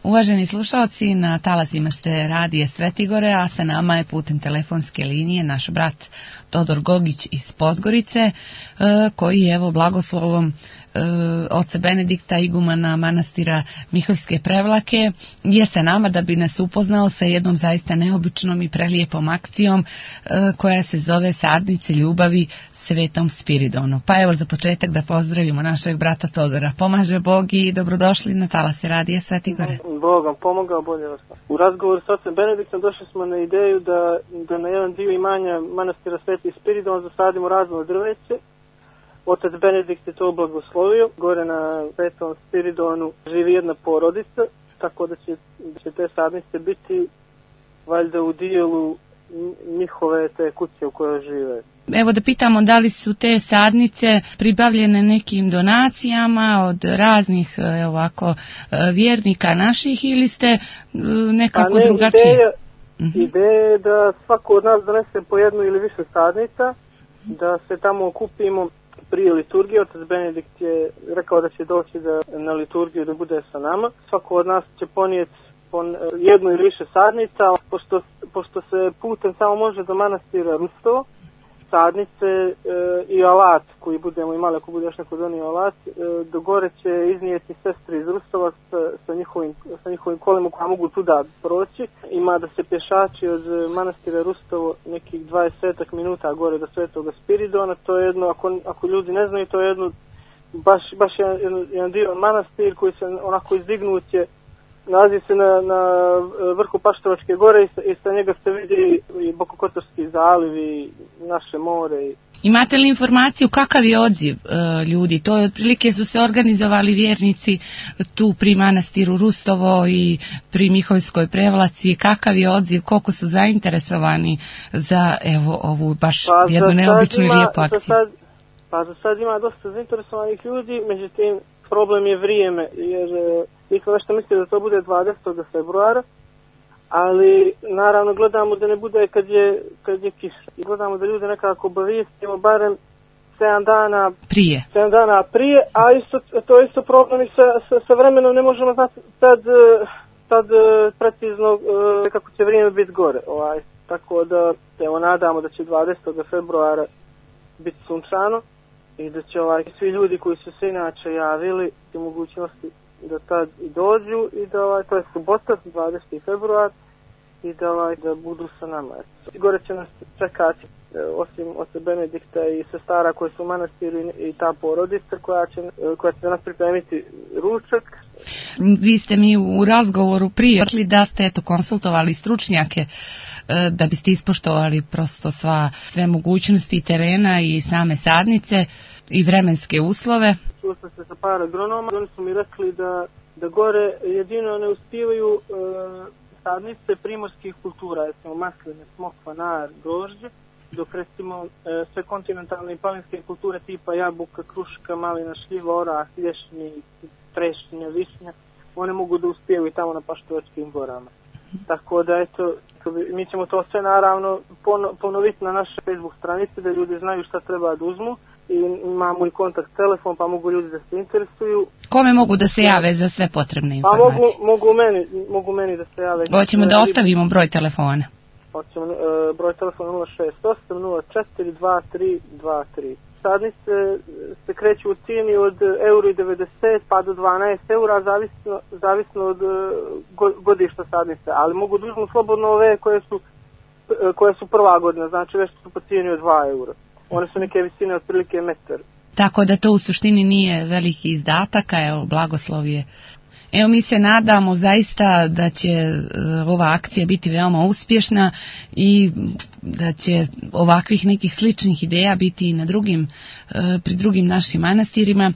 Uvaženi slušaoci, na talasima ste radije Svetigore, a sa nama je putem telefonske linije naš brat Todor Gogić iz Podgorice, koji evo blagoslovom oca Benedikta, igumana manastira Miholjske Prevlake, je sa nama da bi nas upoznao sa jednom zaista neobičnom i prelijepom akcijom koja se zove Sadnice ljubavi Svetom Spiridonu. Pa evo za početak da pozdravimo našeg brata Todora. Pomaže Bog i dobrodošli na talase radija Svetigore. Bog vam pomogao, bolje vas. U razgovoru s ocem Benediktom došli smo na ideju da na jedan dio imanja manastira Sveti Spiridon zasadimo razno drveće. Otac Benedikt je to blagoslovio. Gore na Svetom Spiridonu živi jedna porodica, tako da će te sadnice biti valjda u dijelu njihove te kuće u kojoj žive. Evo da pitamo da li su te sadnice pribavljene nekim donacijama od raznih ovako vjernika naših ili ste nekako drugačije? Ideja je da svako od nas donese po jednu ili više sadnica, da se tamo okupimo prije liturgije. Otac Benedikt je rekao da će doći na liturgiju da bude sa nama. Svako od nas će ponijeti jednu ili više sadnica, pošto se putem samo može do manastira Rustovo, sadnice i alat koji budemo imali, ako bude još neko donio alat, do gore će iznijeti sestri iz Rustova sa njihovim kolima koja mogu tuda proći. Ima da se pješači od manastira Rustovo nekih 20 minuta gore do Svetoga Spiridona. To je jedno, ako ljudi ne znaju, to je jedno baš jedan dio manastir koji se onako izdignut je, nalazi se na vrhu Paštrovačke gore i sa njega se vidi i Bokokotorski zaliv i naše more. Imate li informaciju kakav je odziv ljudi? To je otprilike su se organizovali vjernici tu pri manastiru Rustovo i pri Miholjskoj Prevlaci. Kakav je odziv? Koliko su zainteresovani za ovu baš jednu neobičnu i lijepu akciju? Za sad ima dosta zainteresovanih ljudi, međutim problem je vrijeme, jer mi smo nešto mislili da to bude 20. februara, ali naravno gledamo da ne bude kad je kiša. I gledamo da ljude nekako obavijestimo barem 7 dana prije, a to je isto problem i sa vremenom, ne možemo znati tad precizno kako će vrijeme biti gore. Tako da nadamo da će 20. februara biti sunčano i da će svi ljudi koji su se inače javili i mogućnosti da tad i dođu i da to je subota 20. februar i da budu sa nama. Gore će nas čekati osim oca Benedikta i sestara koji su u manastiru i ta porodica koja će nas pripremiti ručak. Vi ste mi u razgovoru prije rekli da ste konsultovali stručnjake da biste ispoštovali prosto sve mogućnosti terena i same sadnice i vremenske uslove. Čuo sam se sa par agronoma, oni su mi rekli da gore jedino ne uspijevaju sadnice primorskih kultura, recimo masline, smokva, nar, grožđe, dok recimo sve kontinentalne i planinske kulture tipa jabuka, kruška, malina, šljiva, orah, lješnik, trešnja, višnja, one mogu da uspijevaju tamo na Paštovačkim gorama. Tako da mi ćemo to sve naravno ponoviti na našoj Facebook stranici da ljudi znaju šta treba da uzmu i imamo i kontakt telefon pa mogu ljudi da se interesuju. Kome mogu da se jave za sve potrebne informacije? Mogu meni da se jave. Hoćemo da ostavimo broj telefona. Hoćemo broj telefona 068 04 2323. Sadnice se kreću u cijeni od €1,90 pa do 12 eura, zavisno od godišta sadnice, ali mogu da uzmu slobodno ove koje su prva godina, znači već su po cijeni od 2 eura. One su neke visine otprilike metar. Tako da to u suštini nije veliki izdatak, a blagoslov je. Evo mi se nadamo zaista da će ova akcija biti veoma uspješna i da će ovakvih nekih sličnih ideja biti i na pri drugim našim manastirima.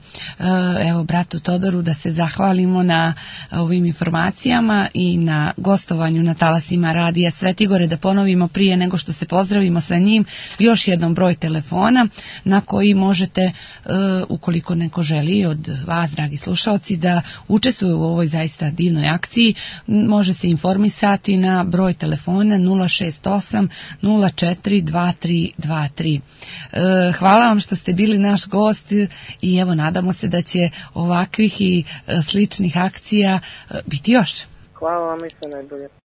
Evo bratu Todoru da se zahvalimo na ovim informacijama i na gostovanju na talasima radija Svetigore, da ponovimo prije nego što se pozdravimo sa njim još jednom broj telefona na koji možete, ukoliko neko želi od vas, dragi slušalci, da učestvuju u ovoj zaista divnoj akciji, može se informisati na broj telefona 068 04 2323. Hvala vam što ste bili naš gost i evo nadamo se da će ovakvih i sličnih akcija biti još. Hvala vam i sve najbolje.